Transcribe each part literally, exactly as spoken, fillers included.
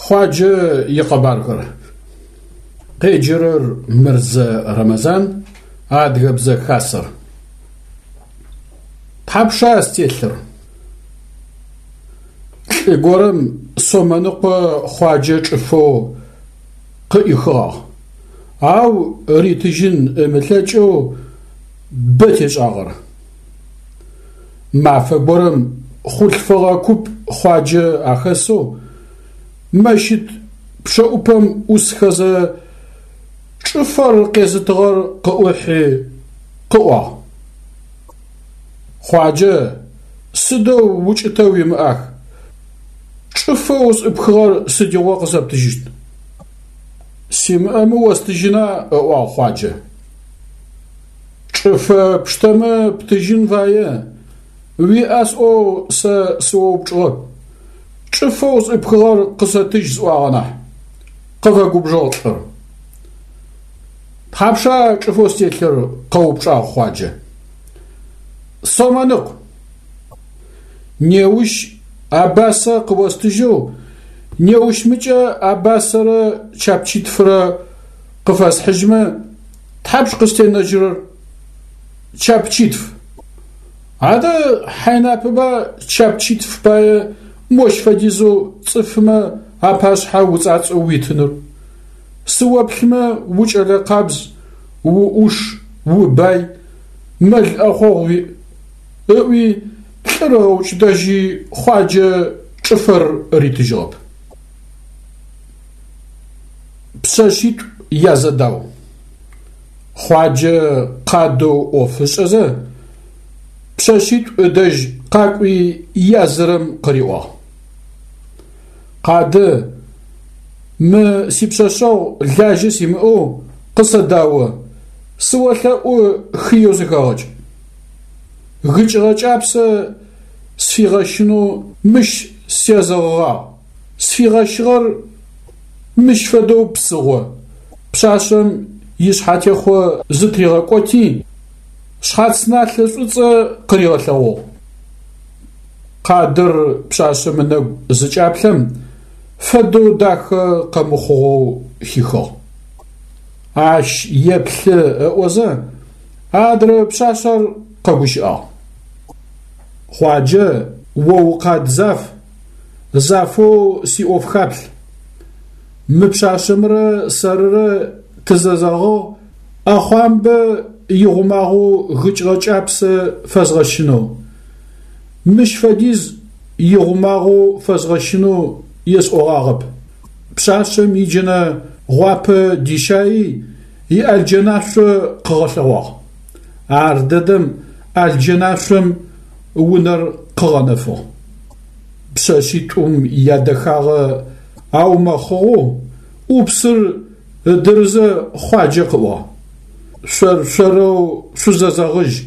Хъуаджэ икъэбархэр. Къеджэрэр Мырзэ Рэмэзан, Адыгэбзэ Хасэр. Тхьапша стелъыр? Лӏы горэм сомэныкъо Хъуаджэ чӏыфэу къыӏихыгъагъ, ау ритыжьын ымылъэкӏэу бэ тешӏагъэр. Мафэ горэм хъулъфыгъэ куп Хъуаджэ ахэсэу мэщыт пчъэӏупэм ӏусхэзэ чӏыфэр къезытыгъэр къыӏухьи къыӏуагъ: Хъуаджэ, сыдэу укӏытэ уимыӏах, чӏыфэу сӏыпхыгъэр сыдигъо къысэптыжьыщт? Симыӏэмэ остыжьына, ыӏуагъ Хъуаджэ. Чӏыфэ пштэмэ птыжьын фае, уиӏа сӏоу сэ сыоупчӏыгъэп, чӏыфэу сӏыпхыгъэр къысэтыжь сӏуагъэ нахь, къыфэгубжыгъ лӏыр. Тхьапша чӏыфэу стелъыр? Къэупчӏагъ Хъуаджэ. Сомэныкъу. Неущ абасэ къыостыжьэу, неущмыкӏэ абасэрэ чапчитфырэ къыфэсхьыжьмэ, тхьапш къыстенэжьырэр? Чапчитф. Адэ хьайнапэба чапчитф пае мощ фэдизэу цӏыфмэ апашъхьэ уцӏацӏэу уитыныр? Сыоплъымэ укӏэлэ къабз, уӏуш, убай, мэл ӏэхъогъу уиӏ, ыӏуи лӏыр ыгъэукӏытэжьи Хъуаджэ чӏыфэр ритыжьыгъэп. Пшъэшъитӏу язэдау. Хъуаджэ къадэу ӏоф ышӏэзэ, пшъэшъитӏу ыдэжь къакӏуи язырэм къыриӏуагъ: Къадэ, мы сипшъэшъэгъу лажьэ симыӏэу къысэдао, сыолъэӏу хыеу сыхэгъэкӏ. Гыкӏыгъэ кӏапсэ сфигъэщынэу мыщ сезэгъыгъагъ, сфигъэщыгъэр мыщ фэдэу псыгъо. Пшъашъэм ишъхьатехъо зытыригъэкӏоти, шъхьац налъэ шӏуцӏэ къыригъэлъэгъугъ. Къадэр пшъашъэм ынэгу зыкӏаплъэм фэдэу дахэ къэмыхъугъэу хихыгъ. Ащ еплъы ыӏозэ, адрэ пшъашъэр къэгущыӏагъ. Хъуаджэ, о укъад заф, зафэу сиӏоф хаплъ. Мы пшъашъэмрэ сэрырэ тызэзэгъыгъ ӏэхъуамбэ игъумагъэу гыкӏыгъэ кӏапсэ фэзгъэщынэу. Мыщ фэдиз игъумагъэу фэзгъэщынэу есӏогъагъэп. Пшъашъэм иджэнэ гъуапэ дищаи иӏэлджэнашъо къыгъэлъэгъуагъ. Ар дэдэм ӏэлджэнашъом унэр къыгъэнэфыгъ. Пшъэшъитӏум ядэхагъэ аумэхъыгъэу ӏупсыр ыдырызэ Хъуаджэ къыӏуагъ: Шъор-шъорэу шъузэзэгъыжь,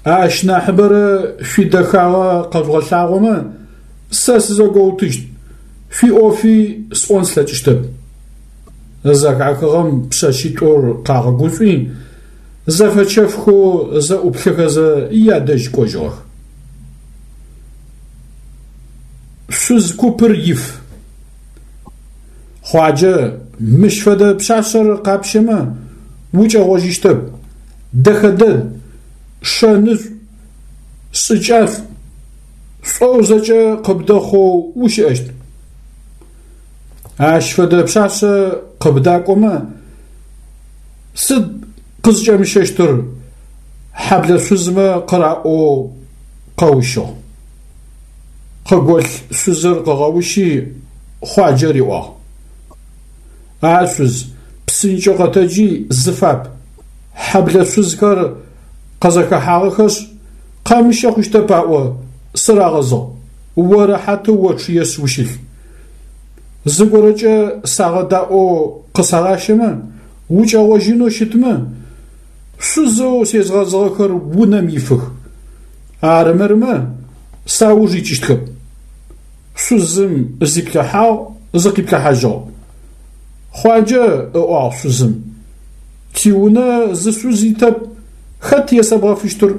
ащ нахьыбэрэ шъуидэхагъэ къэжъугъэлъагъомэ, сэ сызэгоутыщт, шъуиӏофи сӏон слъэкӏыщтэп. Зэхахыгъэм пшъэшъитӏур къагъэгушӏуи, зэфэчэфхэу зэӏуплъэхэзэ ядэжь кӏожьыгъэх. Шъуз купыр иф. Хъуаджэ, мыщ фэдэ пшъашъэр къапщэмэ, укӏэгъожьыщтэп, дэхэ дэд, шэнышӏу, шӏыкӏашӏу, шӏоу зэкӏэ къыбдэхъоу ущыӏэщт. Ащ фэдэ пшъашъэ къыбдакӏомэ, сыд къызкӏэмыщэщтыр хьэблэ шъузмэ къыраӏоу къэущыгъ. Къыголъ шъузыр къыгъэущи Хъуаджэ риӏуагъ: А шъуз, псынкӏэу къэтэджи зыфап, хьэблэ шъузхэр къызэхэхьагъэхэшъ, къэмыщэ хъущтэп аӏо сырагъэзыгъ, о рэхьатэу очъыешъ ущылъ. Зыгорэкӏэ сагъэдаӏоу къысагъащэмэ, укӏэгъожьынэу щытмэ, шъузэу сезгъэзыгъэхэр унэм ифых. Арымырмэ, сауж икӏыщтхэп. Шъузым зиплъыхьагъ, зыкъиплъыхьажьыгъ. Хъуаджэ, ыӏуагъ шъузым, тиунэ зы шъуз итэп, хэт есэбгъэфыщтыр?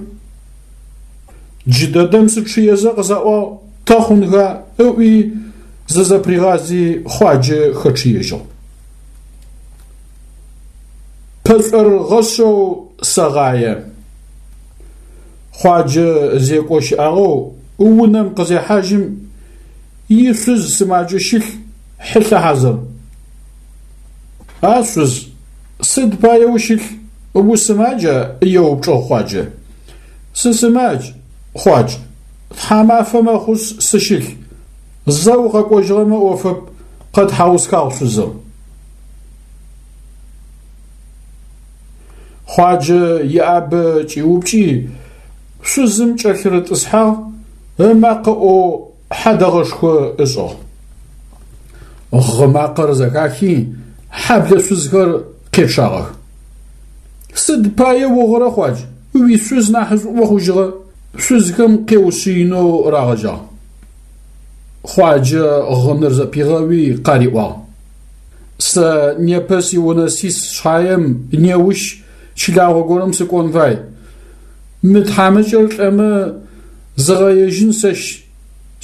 Джыдэдэм сычъыезэ къысаӏуагъ тэ хъунха ыӏуи, Зызэпыригъази Хъуаджэ хэчъыежьыгъ. Пэшӏорыгъэшъэу сэгъае. Хъуаджэ зекӏо щыӏагъэу унэм къызехьажьым ишъуз сымаджэу щылъ, хьылъэ хьазыр. А шъуз, сыд пае ущылъ, усымаджа? Еупчӏыгъ Хъуаджэ. Сысымадж, Хъуадж, тхьамафэ мэхъушъ сыщылъ. Зэ укъэкӏожьыгъэмэ ӏофэп, къэтхьаусхагъ шъузыр. Хъуаджэ иӏабэ кӏиупкӏи, шъузым кӏэлъырытӏысхьагъ, ымакъэ ӏоу хьадэгъэшхо ышӏыгъ. Гъы макъэр зэхахи, хьэблэ шъузхэр къечъагъэх. Сыд пае угъырэ, Хъуадж, уишъуз нахьышӏуӏо хъужьыгъэ, шъузхэм къеушъыинэу рагъэжьагъ. Хъуаджэ гъыныр зэпигъэуи къариӏуагъ. Сэ непэ сиунэ сис шъхьаем неущ чылагъо горэм сыкӏон фай. Мы тхьамыкӏэр лӏэмэ зыгъэежьын сэщ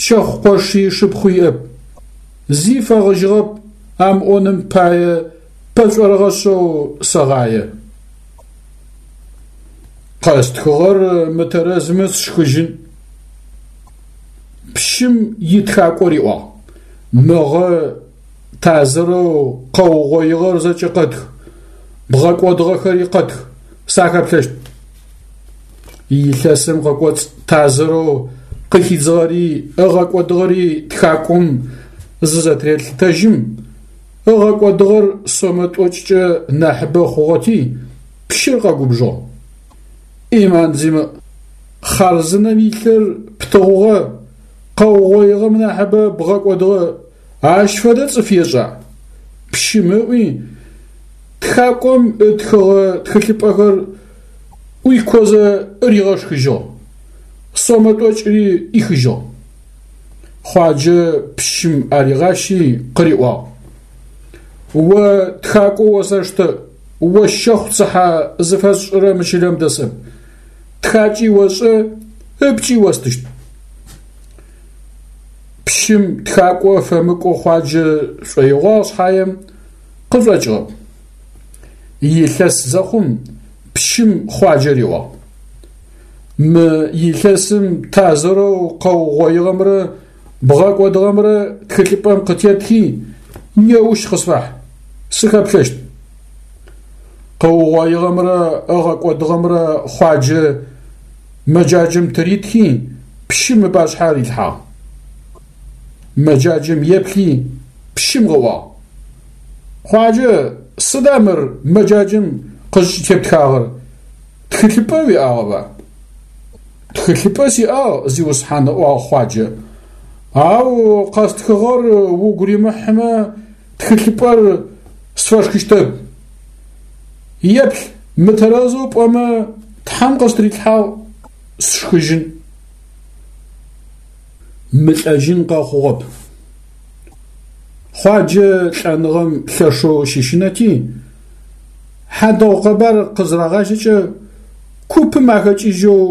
щэхъу къоши шыпхъуи иӏэп. Зи фэгъыжьыгъэп амыӏоным пае пэшӏорыгъэшъэу сэгъае. Къэстхыгъэр мытэрэзмэ сшхыжьын. Пщым итхакӏо риӏуагъ: Мыгъэ тазырэу къэугъоигъэр зэкӏэ къэтх, бгъэкӏодыгъэхэри къэтх, сахэплъэщт. Илъэсым къыкӏоцӏ тазырэу къыхидзыгъэри ыгъэкӏодыгъэри тхакӏом зызэтырелъытэжьым, ыгъэкӏодыгъэр сомэ тӏокӏкӏэ нахьыбэ хъугъэти, пщыр къэгубжыгъ. Ӏиман зимыӏ, хъарзынэм илъыр птыгъугъэ, къэугъоигъэм нахьыбэ бгъэкӏодыгъэ, ащ фэдэ цӏыф ешӏа? Пщым ыӏуи, тхакӏом ытхыгъэ тхылъыпӏэхэр ӏуикозэ ригъэшхыжьыгъ, сомэ тӏокӏри ӏихыжьыгъ. Хъуаджэ пщым аригъащи къыриӏуагъ: О тхакӏо осэштэ, о щэхъу цыхьэ зыфэсшӏырэ мы чылэм дэсэп. Тхакӏи ошӏэ, ыпкӏи остыщт. Пщым тхакӏо фэмыкӏо Хъуаджэ шӏоигъуагъ шъхьаем къышӏокӏыгъэп. Илъэс зэхъум пщым Хъуаджэ риӏуагъ: Мы илъэсым тазырэу къэугъоигъэмрэ бгъэкӏодыгъэмрэ тхылъыпӏэм къытетхи, неущ къысфахь, сыхэплъэщт. Къыугъоигъэмрэ ыгъэкӏодыгъэмрэ Хъуаджэ мэджаджэм тыритхи, пщым ыпашъхьэ рилъхьагъ. Мэджаджэм еплъи, пщым къыӏуагъ: Хъуаджэ, сыда мыр мэджаджэм къызкӏытептхагъэр, тхылъыпӏэ уиӏагъэба? Тхылъыпӏэ сиӏагъ, зиусхьан, ыӏуагъ Хъуаджэ. Ау къэстхыгъэр угу римыхьымэ, тхылъыпӏэр сфэшхыщтэп. Еплъ, мытэрэзэу пӏомэ, Тхьэм къыстрилъхьагъ, сшхыжьын. Мылӏэжьын къэхъугъэп. Хъуаджэ лӏэныгъэм лъэшэу щыщынэти, хьадэгъу къэбар къызырагъажьэкӏэ купым ахэкӏыжьэу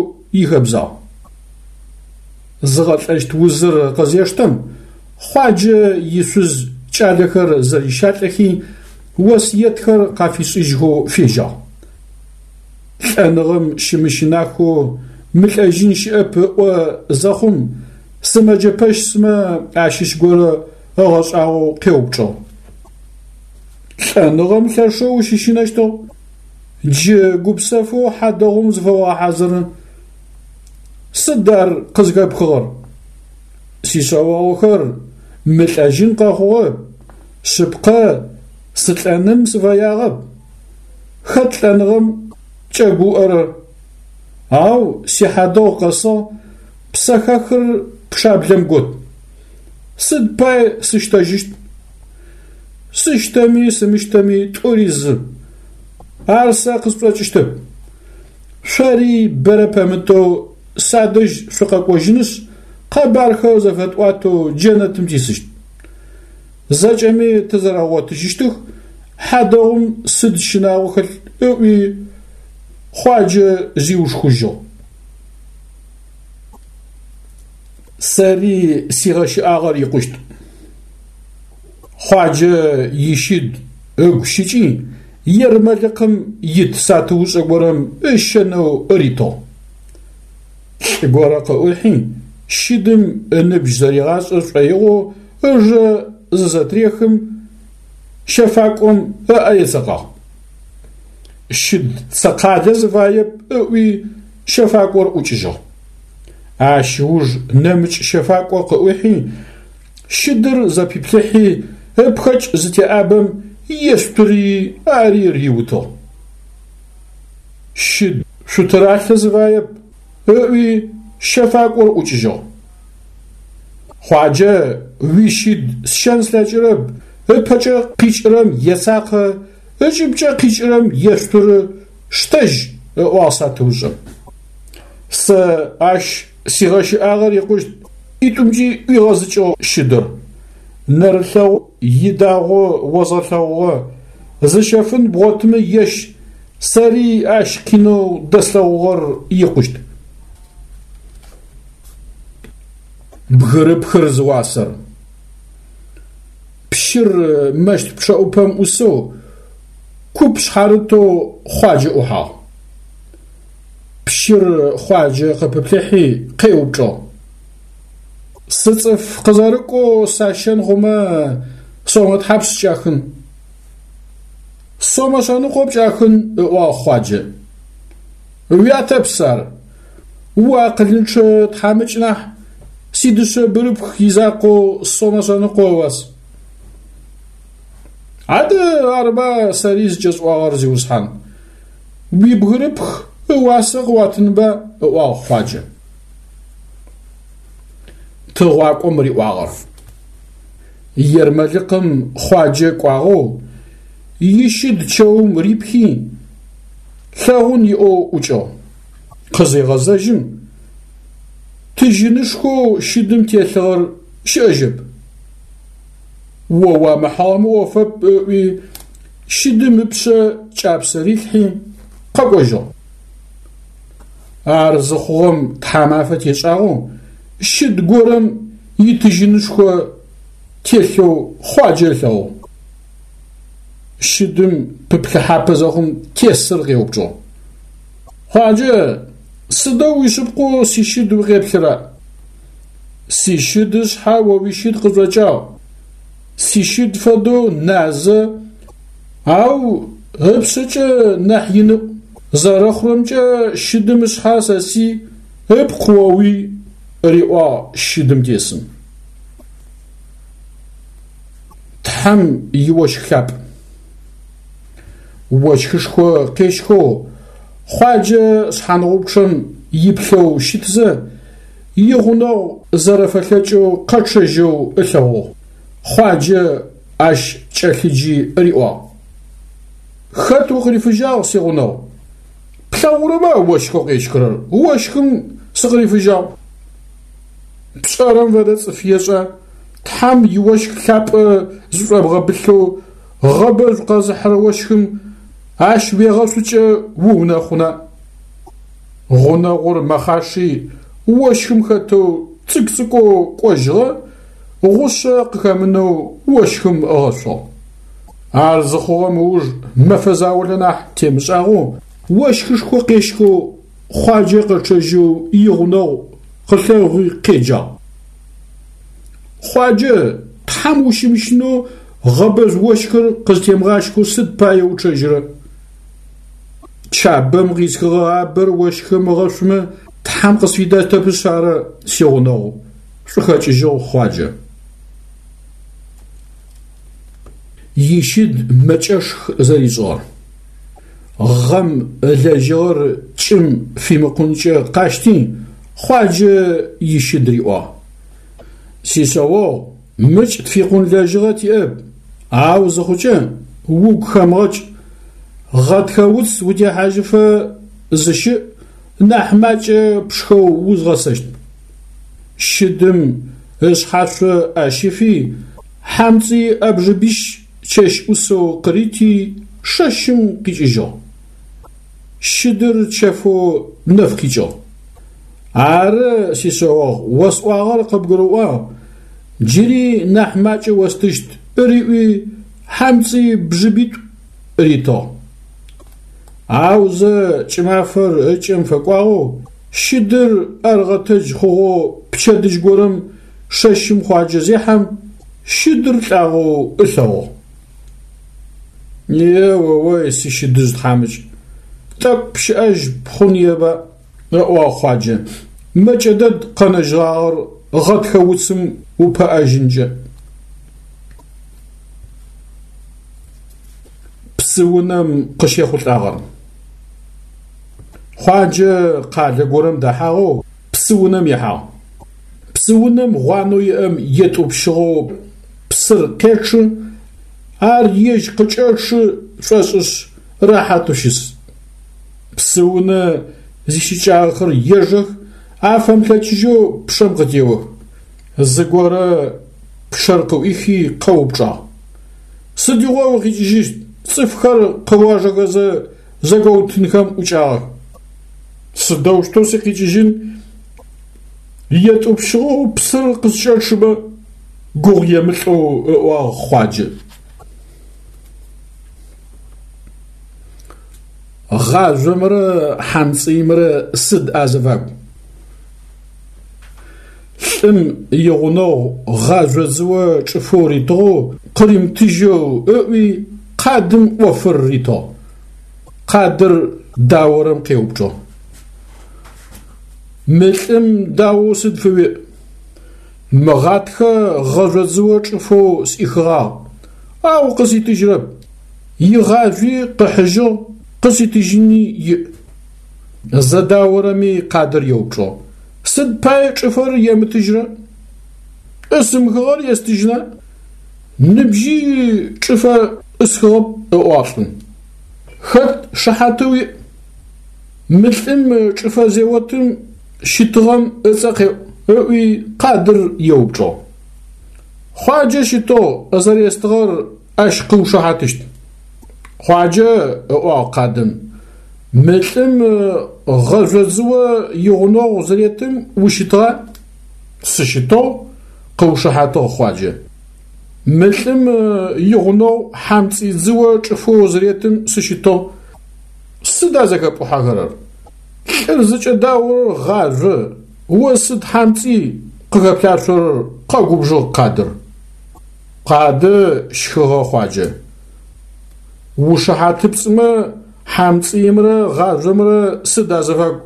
ихэбзагъ. Зыгъэлӏэщт узыр къызештэм, Хъуаджэ ишъуз кӏалэхэр зэрищалӏэхи, осыетхэр къафишӏыжьхэу фежьагъ. Лӏэныгъэм щымыщынахэу мылӏэжьын щыӏэп ыӏо зэхъум, сымэджэ пэщмэ ащыщ горэ ыгъэшӏагъоу къеупчӏыгъ. Лӏэныгъэм лъэшэу ущыщынэщтыгъ, джы гупсэфэу хьадэгъум зыфэогъэхьазыры. Сыд ар къызхэпхыгъэр? Сишъэогъухэр мылӏэжьын къэхъугъэп, шъыпкъэ сылӏэным сыфэягъэп. Хэт лӏэныгъэм кӏэгуӏэрэр? Ау сихьадэгъу къэсыгъ, псэхэхыр пчъаблэм гот. Сыд пай сыщтэжьыщт? Сыщтэми сымыщтэми тӏури зы. Ар сэ къысшӏокӏыщтэп. Шъори бэрэ пэмытэу садэжь шъукъэкӏожьынышъ, къэбархэр зэфэтӏуатэу джэнэтым тисыщт. Зэкӏэми тызэрэгъотыжьыщтых, хьадэгъум сыд щынагъо хэлъ ыӏуи, Хъуаджэ зиушхужьыгъ. Сэри сигъэщыӏагъэр икъущт. Хъуаджэ ищыд ыгу щыкӏи, ермэлыкъым ит сатыушӏэ горэм ыщэнэу ритыгъ. Лӏы горэ къыӏухьи, щыдым ыныбжь зэригъашӏэ шӏоигъоу ыжэ зызэтрехым, щэфакӏом ыӏэ ецэкъагъ. Щыд цэкъалэ зыфаеп ыӏуи щэфакӏор ӏукӏыжьыгъ. Ащ ыуж нэмыкӏ щэфакӏо къыӏухьи, щыдыр зэпиплъыхьи, ыпхэкӏ зытеӏабэм ешъутыри ари риутыгъ. Щыд шъутыралъэ зыфаеп ыӏуи щэфакӏор ӏукӏыжьыгъ. Хъуаджэ уищыд сщэн слъэкӏырэп, ыпэкӏэ къикӏырэм ецакъэ, ыкӏыбкӏэ къикӏырэм ешъутыры, штэжь, ыӏуагъ сатыушӏэм. Сэ ащ сигъэщыӏагъэр икъущт, ӏитӏумкӏи ӏуигъэзыкӏыгъ щыдыр. Нэрылъэгъу идагъо озгъэлъэгъугъэ, зыщэфын бгъотымэ ещ, сэри ащ къинэу дэслъэгъугъэр икъущт. Бгырыпхыр зыуасэр. Пщыр мэщт пчъэӏупэм ӏусэу, куп шъхьарытэу Хъуаджэ ӏухьагъ. Пщыр Хъуаджэ къыпыплъыхьи къеупчӏыгъ: Сыцӏыф къызэрыкӏоу сащэн хъумэ сомэ тхьапш скӏахын? Сомэ шъэныкъо пкӏахын, ыӏуагъ Хъуаджэ. Уятэпс ар, уакъылынчъэ тхьамыкӏ нахь, сидышъэ бырыпх изакъоу сомэ шъэныкъо ыуас. Адэ арыба сэри зыкӏэсӏуагъэр, зиусхьан. Уибгырыпх ыуасэ къыуатынба, ыӏуагъ Хъуаджэ. Тыгъуакӏом риӏуагъэр. Ермэлыкъым Хъуаджэ кӏуагъэу, ищыд чэум рипхи, лъэгъун иӏэу ӏукӏыгъ. Къызегъэзэжьым, тыжьынышхоу щыдым телъыгъэр щыӏэжьэп. О уамыхьыгъэмэ ӏофэп, ыӏуи, щыдым ыпшъэ кӏапсэ рилъхьи, къэкӏожьыгъ. Ар зыхъугъэм тхьамафэ тешӏагъэу, щыд горэм итыжьынышхо телъэу Хъуаджэ ылъэгъугъ. Щыдым пыплъыхьапэ зэхъум тесыр къеупчӏыгъ: Хъуаджэ, сыдэу уишъыпкъэу сищыд укъеплъыра? Сищыд ышъхьэ о уищыд къышӏокӏагъ. Сищыд фэдэу назэ, ау ыпшъэкӏэ нахь иныӏу. Зэрэхъурэмкӏэ щыдым ышъхьэ сэсый, ыпкъ оуий, риӏуагъ щыдым тесым. Тхьэм иощх лъапӏ. Ощхышхо къещхэу Хъуаджэ шъхьангъупчъэм иплъэу щытызэ, игъунэгъу зэрэфэлъэкӏэу къэчъэжьэу ылъэгъугъ. Хъуаджэ ащ кӏэлъыджи риӏуагъ: Хэт укъырифыжьагъ, сигъунэгъу? Плъэгъурэба ощхэу къещхырэр? Ощхым сыкъырифыжьагъ. Пшӏэрэм фэдэ цӏыф ешӏа? Тхьэм иощх лъапӏэ зышӏобгъэбылъэу гъэбэжъу къэзыхьырэ ощхым ащ уегъэшъукӏэ уунэхъуна? Гъунэгъур мэхъаши ощхым хэтэу цӏыкӏу-цӏыкӏоу кӏожьыгъэ, гъушъэ къыхэмынэу ощхым ыгъэшъугъ. Ар зыхъугъэм ыуж мэфэ заулэ нахь темышӏагъэу ощхышхо къещхэу Хъуаджэ къэчъэжьэу игъунэгъу къылъэгъуи къеджагъ: Хъуаджэ, Тхьэм ущымыщынэу гъэбэжъу ощхыр къызтемыгъащхэу сыд пае учъэжьырэ? Чабэм къисхыгъэ абэр ощхым ыгъэшъумэ Тхьэм къысфидэтэпышъ ары, сигъунэгъу, шӏухэкӏыжьыгъ Хъуаджэ. Ищыд мэкӏэшх зэришӏыгъэр. Гъэм ылэжьыгъэр кӏым фимыкъункӏэ къащти, Хъуаджэ ищыд риӏуагъ: Сишъэогъу, мыкӏ тфикъун лэжьыгъэ тиӏэп, ау зыхъукӏэ угу хэмыгъэкӏ, гъэтхэ уц утехьажьыфэ зыщыӏ, нахь макӏэ пшхэу узгъэсэщт. Щыдым ышъхьашъо ӏэ щифи, хьамцӏый ӏэбжыбищ чэщ ӏусэу къырити, шэщым къикӏыжьыгъ. Щыдыр чэфэу нэф къикӏыгъ. Ары, сишъэогъу, осӏуагъэр къыбгурыӏуагъ, джыри нахь макӏэ остыщт, Риӏуи, хьамцӏый бжыбитӏу ритыгъ. Аузэ кӏымафэр ыкӏэм фэкӏуагъэу, щыдыр ӏэргъэтэдж хъугъэу пчэдыжь горэм шэщым Хъуаджэ зехьэм, щыдыр лӏагъэу ылъэгъугъ. Е-о-ой, сищыдыжъ тхьамыкӏ, тӏэкӏу пщыӏэжь пхъуныеба, ыӏуагъ Хъуаджэ, мэкӏэ дэд къэнэжьыгъагъэр гъэтхэ уцым упэӏэжьынкӏэ. Псыунэм къыщехъулӏагъэр. Хъуаджэ къалэ горэм дэхьагъэу псыунэм ихьагъ. Псыунэм гъуанэу иӏэм етӏупщыгъэу псыр къечъы, ар ежь къыкӏэчъы шӏошӏышъ рэхьатэу щыс. Псыунэ зищыкӏагъэхэр ежэх, афэмылъэкӏыжьэу пчъэм къытеох. Зыгорэ пчъэр къыӏуихи къэупчӏагъ: Сыдигъо укъикӏыжьыщт? Цӏыфхэр къыожэхэзэ зэгоутынхэм ӏукӏагъэх. Сыдэущтэу сыкъикӏыжьын? Етӏупщыгъэу псыр къыскӏэчъымэ, гугъу емылӏэу ыӏуагъ Хъуаджэ. Гъажъомрэ хьамцӏыимрэ сыд азыфагу? Лӏым игъунэгъу гъажъо дзыо чӏыфэу ритыгъэу къыримытыжьэу ыӏуи къадым ӏофыр ритыгъ. Къадыр даорэм къеупчӏыгъ: Мы лӏым даоу сыд фыуиӏ? Мыгъатхэ гъэжъо дзыо чӏыфэу сӏихыгъагъ, ау къыситыжьырэп. Игъажъуи къыхьыжьыгъ, къыситыжьыни иӏ. Зэдаорэми къадыр еупчӏыгъ: Сыд пае чӏыфэр емытыжьрэ? Ӏысымыхыгъэр естыжьына? Ныбжьи чӏыфэ ӏысхыгъэп, ыӏуагъ лӏым. Хэт шыхьатэу уиӏ? Мы лӏым чӏыфэ зеотым щытыгъэм ыцӏэ къеӏу, ыӏуи къадыр еупчӏыгъ. Хъуаджэ щытыгъ зэрестыгъэр ащ къыушыхьатыщт. Хъуаджэ, ыӏуагъ къадым, мы лӏым гъэжъо дзыо игъунэгъу зыретым ущытыгъа? Сыщытыгъ, къыушыхьатыгъ Хъуаджэ. Мы лӏым игъунэгъу хьамцӏый дзыо чӏыфэу зыретым сыщытыгъ. Сыда зэхэпӏухьэхэрэр? Лӏыр зыкӏэдаорэр гъажъо, о сыд хьамцӏый къыхэплъашъорэр, къэгубжыгъ къадыр. Къадэ щхыгъэ Хъуаджэ. Ушыхьатыпцӏымэ хьамцӏыимрэ гъажъомрэ сыд азыфагу?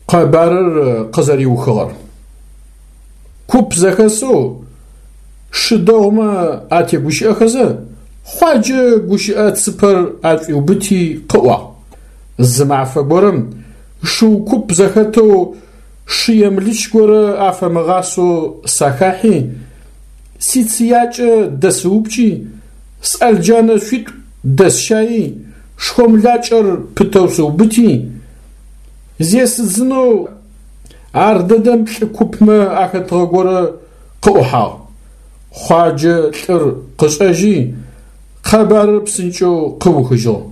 Къэбарыр къызэриухыгъэр. Куп зэхэсэу шы дэгъумэ атегущыӏэхэзэ, Хъуаджэ гущыӏэ цыпэр ашӏуиубыти къыӏуагъ. Зы мафэ горэм шыу куп зэхэтэу шы емылыч горэ афэмыгъасэу сахахьи, сицыякӏэ дэсыупкӏи, сӏэлджэнэ шъуитӏу дэсщаи, шхомлакӏэр пытэу сыубыти, зесыдзынэу ар дэдэм лӏы купмэ ахэтыгъэ горэ къыӏухьагъ. Хъуаджэ лӏыр къышӏэжьи, къэбарыр псынкӏэу къыухыжьыгъ.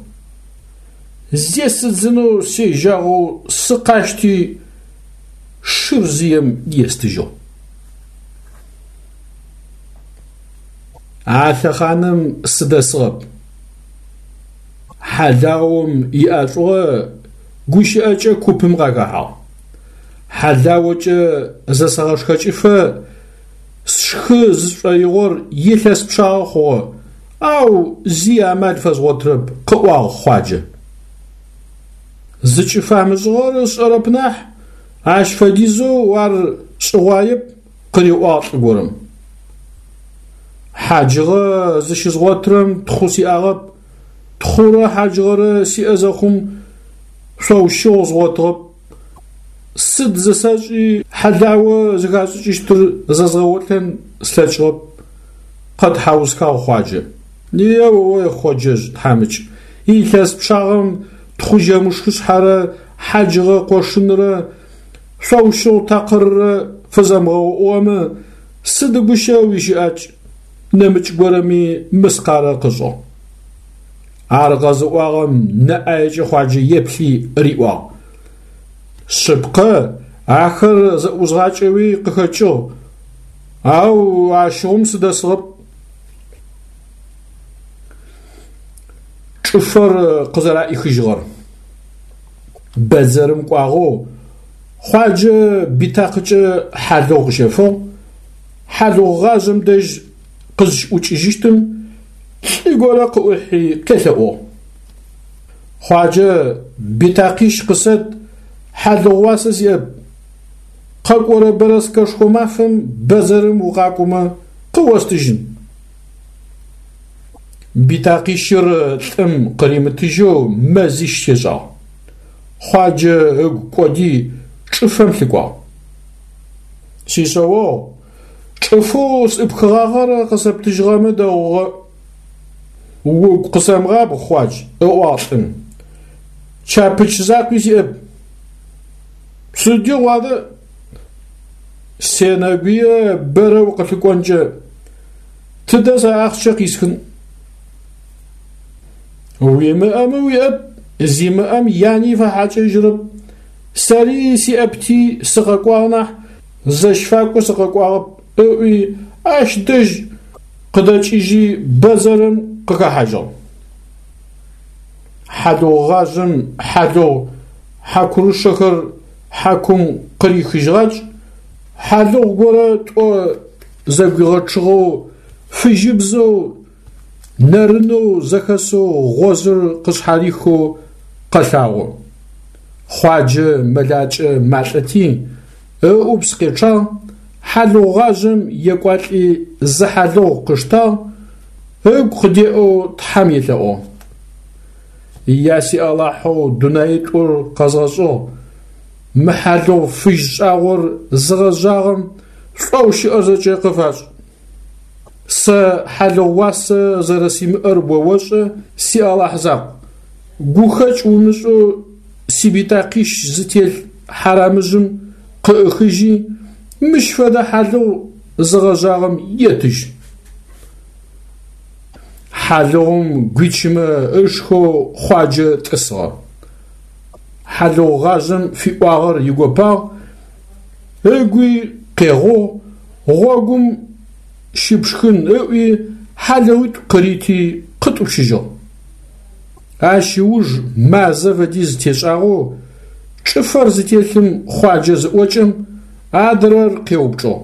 Зесыдзынэу сежьагъэу сыкъащти, шыр зыем естыжьыгъ. А лъэхъаным сыдэсыгъэп. Хьалаом иӏэшӏугъэ гущыӏэкӏэ купым къахэхьагъ. Хьалаокӏэ зэсэгъэшхэкӏыфэ сшхы зысшӏоигъор илъэс пчъагъэ хъугъэ, ау зи амал фэзгъотырэп, къыӏуагъ Хъуаджэ. Зыкӏыфамышӏыгъэр ышӏэрэп нахь, ащ фэдизэу ар шӏыгъуаеп, къыриӏуагъ лӏы горэм. Хьаджыгъэ зыщызгъотырэм тхъу сиӏагъэп, тхъурэ хьаджыгъэрэ сиӏэ зэхъум шъоущыгъу згъотыгъэп. Сыд зысэшӏи хьалао зыхашӏыкӏыщтыр зэзгъэолӏэн слъэкӏыгъэп, къэтхьаусхагъ Хъуаджэ. Е-о-ой, Хъоджэжъ тхьамыкӏ, илъэс пчъагъэм тхъужэмышхышъхьэрэ хьаджыгъэ къошынрэ шъоущыгъу такъыррэ фызэмыгъэуӏугъэмэ, сыд гущэ уищыӏакӏ, нэмыкӏ горэми мыскъарэ къышӏыгъ. Ар къэзыӏуагъэм нэ ӏаекӏэ Хъуаджэ еплъи риӏуагъ: Шъыпкъэ, ахэр зэӏузгъакӏэуи къыхэкӏыгъ, Ау ащыгъум сыдэсыгъэп. Чӏыфэр къызэраӏихыжьыгъэр. Бэдзэрым кӏуагъэу Хъуаджэ битакъыкӏэ хьалыгъу къыщэфыгъ. Хьалыгъугъажъэм дэжь къызщыӏукӏыжьыщтым лӏы горэ къыӏухьи къелъэӏугъ. Хъуаджэ битакъищ къысэт, хьалыгъу уасэ сиӏэп. Къэкӏорэ бэрэскэшхо мафэм бэдзэрым укъакӏомэ къыостыжьын. Битакъищыр лӏым къыримытыжьэу мэзищ тешӏагъ. Хъуаджэ ыгу кӏоди чӏыфэм лъыкӏуагъ. Сишъэогъу, чӏыфэу сӏыпхыгъагъэр къысэптыжьыгъэмэ дэгъугъэ. Угу къысэмыгъабгъ, Хъуадж, ыӏуагъ лӏым. Чапыч закъуи сиӏэп. Сыдигъу адэ? Сенэгуе бэрэ укъылъыкӏонкӏэ. Тыдэ сэ ахъщэ къисхын? Уимыӏэмэ уиӏэп, зимыӏэм яни фэхьакӏэжьырэп. Сэри сиӏэпти сыкъэкӏуагъ нахь, зэщфакӏо сыкъэкӏуагъэп, ыӏуи ащ дэжь къыдэкӏыжьи бэдзэрым къыхэхьажьыгъ. Хьалыгъугъажъэм хьалыгъу хьакурышэхэр хьакум къырихыжьыгъакӏ, хьалыгъу горэ тӏо зэгуигъэчъыгъэу фыжьыбзэу нэрынэу зэхэсэу гъозыр къышъхьарихэу къэлъагъо. Хъуаджэ мэлакӏэ малӏэти, ыӏупс къечъагъ, хьалыгъугъажъэм екӏуалӏи зы хьалыгъу къыштагъ, ыгу къыдеӏэу Тхьэм елъэӏугъ. Я си Алахьэу дунаитӏур къэзгъэшӏыгъ, мы хьалыгъу фыжь шӏагъор зыгъэжъагъэм шӏоу щыӏэр зэкӏэ къыфашӏ. Сэ хьалыгъу уасэ зэрэсимыӏэр о ошӏэ, си Алахь закъу. Гухэкӏ умышӏэу сибитакъищ зытелъ хьарамыжъым къыӏыхыжьи, мыщ фэдэ хьалыгъу зыгъэжъагъэм етыжь. Хьалыгъум гуичымэ ышхэу Хъуаджэ тӏысыгъэ. Хьалыгъугъажъэм фиӏуагъэр игопагъ, ыгуи къегъугъ, гъогум щыпшхын ыӏуи хьалыгъуитӏу къырити къытӏупщыжьыгъ. Ащ ыуж мазэ фэдиз тешӏагъэу чӏыфэр зытелъым Хъуаджэ зыӏокӏэм, адрэр къеупчӏыгъ.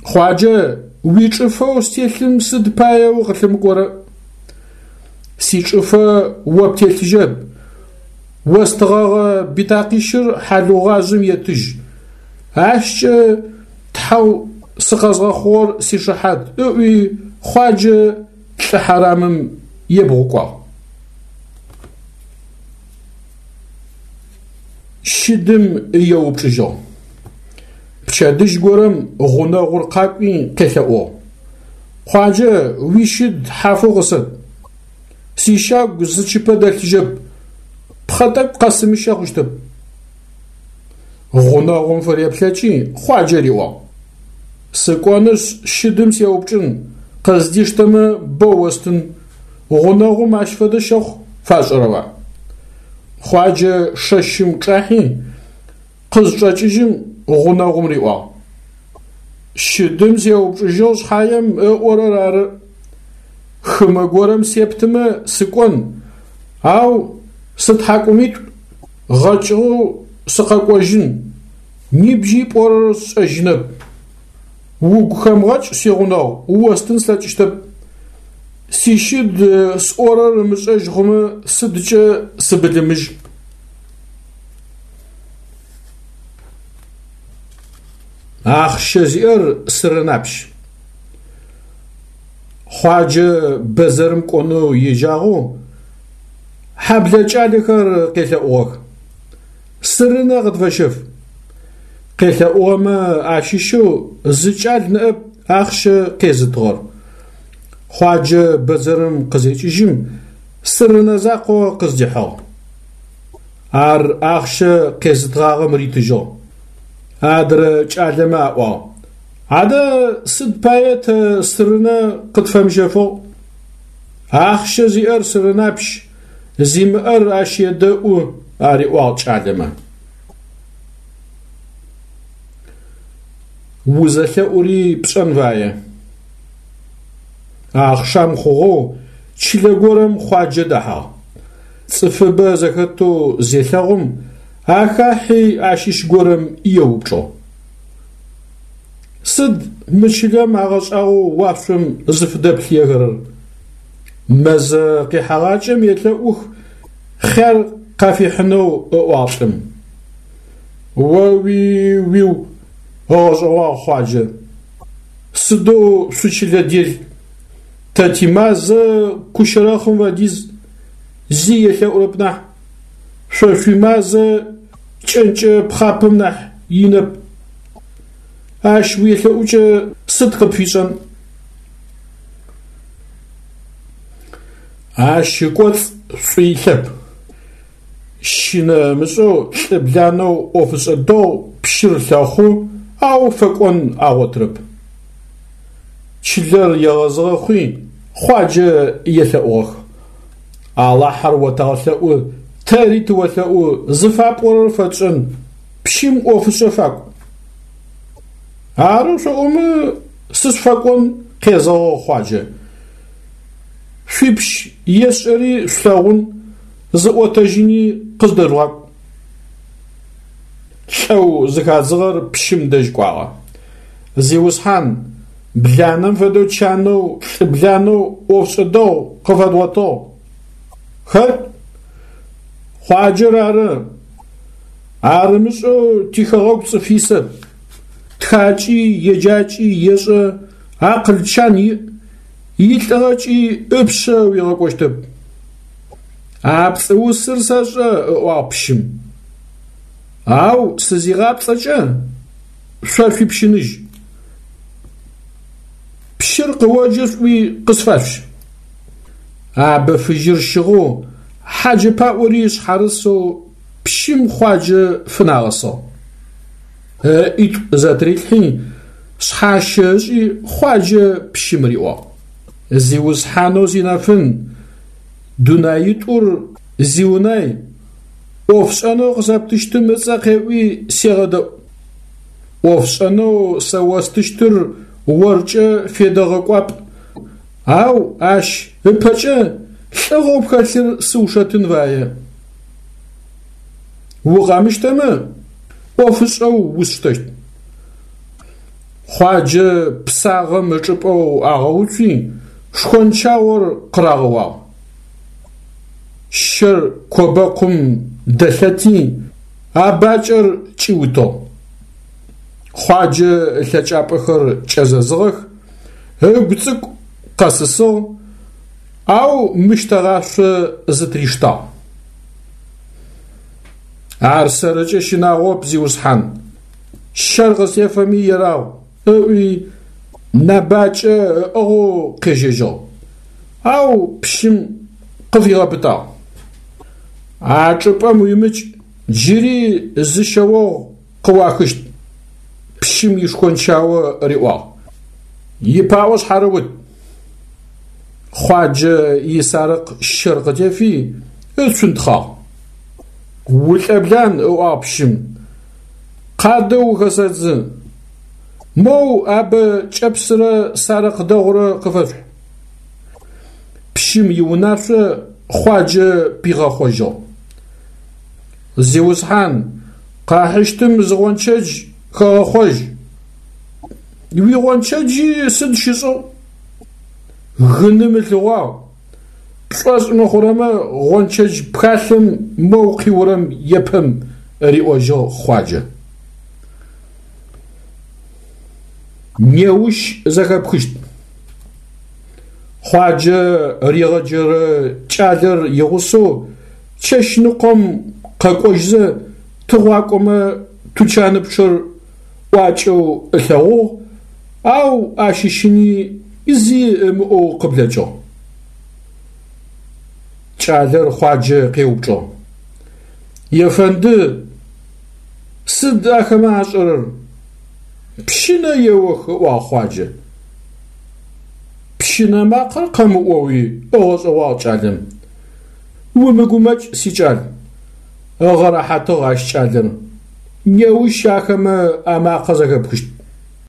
Хъуаджэ, уичӏыфэу стелъым сыд пае укъылъымыкӏорэ? Сичӏыфэ о птелъыжьэп, остыгъэгъэ битакъищыр хьалыгъугъажъэм етыжь. Ащкӏэ Тхьэу сыкъэзгъэхъугъэр сишыхьат, ыӏуи Хъуаджэ лӏы хьарамым ебгъукӏуагъ. Щыдым еупчӏыжьыгъ. Пчэдыжь горэм гъунэгъур къакӏуи къелъэӏугъ. Хъуаджэ, уищыд хьафэу къысэт. Сищагу зы чыпэ дэлъыжьэп, пхъэ тӏэкӏу къэсымыщэ хъущтэп. Гъунэгъум фыреплъэкӏи Хъуаджэ риӏуагъ. Сыкӏонышъ щыдым сеупчӏын, къыздиштэмэ боу остын, гъунэгъум ащ фэдэ щэхъу фашӏырэба? Хъуаджэ шэщым чӏахьи, къызчӏэкӏыжьым гъунэгъум риӏуагъ. Щыдым сеупчӏыжьыгъ шъхьаем ыӏорэр ары. Хымэ горэм септымэ сыкӏон, ау сытхьакӏумитӏу гъэкӏыгъэу сыкъэкӏожьын, нибжьи пӏорэр сшӏэжьынэп. Угу хэмыгъэкӏ, сигъунэгъу, остын слъэкӏыщтэп. Сищыд сӏорэр ымышӏэжь хъумэ сыдкӏэ сыбылымыжь. Ахъщэ зиӏэр сырынапщ. Хъуаджэ бэдзэрым кӏонэу ежьагъэу хьэблэ кӏалэхэр къелъэӏугъэх. Сырынэ къытфэщэф. Къелъэӏугъэмэ ащыщэу зы кӏал ныӏэп ахъщэ къезытыгъэр. Хъуаджэ бэдзэрым къызекӏыжьым сырынэ закъо къыздихьыгъ. Ар ахъщэ къезытыгъагъэм ритыжьыгъ. Адрэ кӏалэмэ аӏуагъ: Адэ сыд пае тэ сырынэ къытфэмыщэфыгъ? Ахъщэ зиӏэр сырынапщ, зимыӏэр ащ едэӏу, ариӏуагъ кӏалэмэ. Узэлъэӏури пшӏэн фае. Ахъшам хъугъэу чылэ горэм Хъуаджэ дэхьагъ. Цӏыфыбэ зэхэтэу зелъэгъум, ахахьи ащыщ горэм еупчӏыгъ. Сыд мы чылэм агъэшӏагъоу уашъом зыфыдэплъыехэрэр? Мэзэ къихьэгъакӏэм елъэӏух хъяр къафихьынэу ыӏуагъ лӏым. О-уи-уиу, ыгъэшӏэгъуагъ Хъуаджэ. Сыдэу шъучылэ дел, тэ тимазэ кущэрэхъым фэдиз зи елъэӏурэп нахь, шъо шъуимазэ кӏэнкӏэ пхъапэм нахь инэп. Ащ уелъэӏукӏэ сыд къыпфишӏэн? Ащ ыкӏоцӏ шӏу илъэп. Щынэ ымышӏэу лӏыбланэу ӏофышӏэ дэгъу пщыр лъэхъу, ау фэкӏон агъотырэп. Чылэр егъэзыгъэ хъуи, Хъуаджэ елъэӏугъэх. Алахьэр отэгъэлъэӏу, тэри тыолъэӏу, зыфапӏорэр фэтшӏэн, пщым ӏофышӏэ факӏу. Ары шъоӏомэ, сышъуфэкӏон къезэгъыгъ Хъуаджэ. Шъуипщ ешӏэри шъулъэгъун, зыӏотэжьыни къыздэжъугъакӏу. Лӏэу зыхадзыгъэр пщым дэжь кӏуагъэ. Зиусхьан, бланэм фэдэу чанэу, лӏыбланэу ӏофшӏэ дэгъу къыфэдгъотыгъ. Хэт? Хъуаджэр ары. Ар ымышӏэу тихэгъэгу цӏыф исэп. Тхакӏи, еджакӏи ешӏэ, акъыл чан иӏ, илӏыгъэкӏи ыпшъэ уигъэкӏощтэп. А пцӏыусыр сэшӏэ, ыӏуагъ пщым. Ау сызигъапцӏэкӏэ шъо шъуипщыныжь. Пщыр къыоджэ шъуӏуи къысфашъущ. Абэ фыжьыр щыгъэу, хьаджэ паӏори шъхьарысэу пщым Хъуаджэ фынагъэсыгъ. Ыӏитӏу зэтырилъхьи, шъхьащэ ышӏи Хъуаджэ пщым риӏуагъ. Зиусхьанэу зинэфын, дунаитӏур зиунай, ӏофшӏэнэу къысэптыщтым ыцӏэ къеӏуи сегъэдэӏу. ӏофшӏэнэу сэ остыщтыр оркӏэ федэгъэкӏуапӏ, ау ащ ыпэкӏэ лӏыгъэу пхэлъыр сыушэтын фае. Укъэмыщтэмэ, ӏофышӏэу усштэщт. Хъуаджэ псагъэм ычӏыпӏэу агъэуцуи, шхончаор къырагъэуагъ. Щэр кобэкъум дэлъэти, абакӏэр кӏиутыгъ. Хъуаджэ ылъэкӏапӏэхэр кӏэзэзыгъэх, ыгу цӏыкӏу къэсысыгъ, ау мыщтэгъашъо зытыриштагъ. Ар сэрыкӏэ щынагъоп, зиусхьан, щэр къыстефэми ерагъу, ыӏуи нэбакӏэ ыӏыгъэу къежьэжьыгъ, ау пщым къыфигъэпытагъ. А чӏыпӏэм уимыкӏ, джыри зы шъэогъу къыуахыщт, пщым ишхончао риӏуагъ. Ипаӏо шъхьарыут. Хъуаджэ исарыкъ щэр къытефи, ыцунтхъагъ. Улӏэблан, ыӏуагъ пщым, къадэ ухэсэдзы. Моу абэ кӏэпсырэ сарыкъ дэгъурэ къыфэшъухь. Пщым иунашъо Хъуаджэ пигъэхъожьыгъ. Зиусхьан, къахьыщтым зы гъончэдж хэгъэхъожь. Уигъончэджи сыд щышӏыгъ? Гыным ылъыгъуагъ. Пшӏошъ мыхъурэмэ гъончэдж пхалъэм моу къиурэм епэм, риӏожьыгъ Хъуаджэ. Неущ зэхэпхыщт. Хъуаджэ ригъэджэрэ кӏалэр игъусэу чэщныкъом къэкӏожьзэ тыгъуакӏомэ тучаныпчъэр ӏуакӏэу ылъэгъугъ, ау ащыщыни зи ымыӏоу къыблэкӏыгъ. Кӏалэр Хъуаджэ къеупчӏыгъ. Ефэнды, сыд ахэмэ ашӏэрэр? Пщынэ еох, ыӏуагъ Хъуаджэ. Пщынэ макъэр къэмыӏоуи ыгъэшӏэгъуагъ кӏалэм. Умыгумэкӏ, сикӏал, ыгъэрэхьатыгъ ащ кӏалэр. Неущ ахэмэ амакъэ зэхэпхыщт.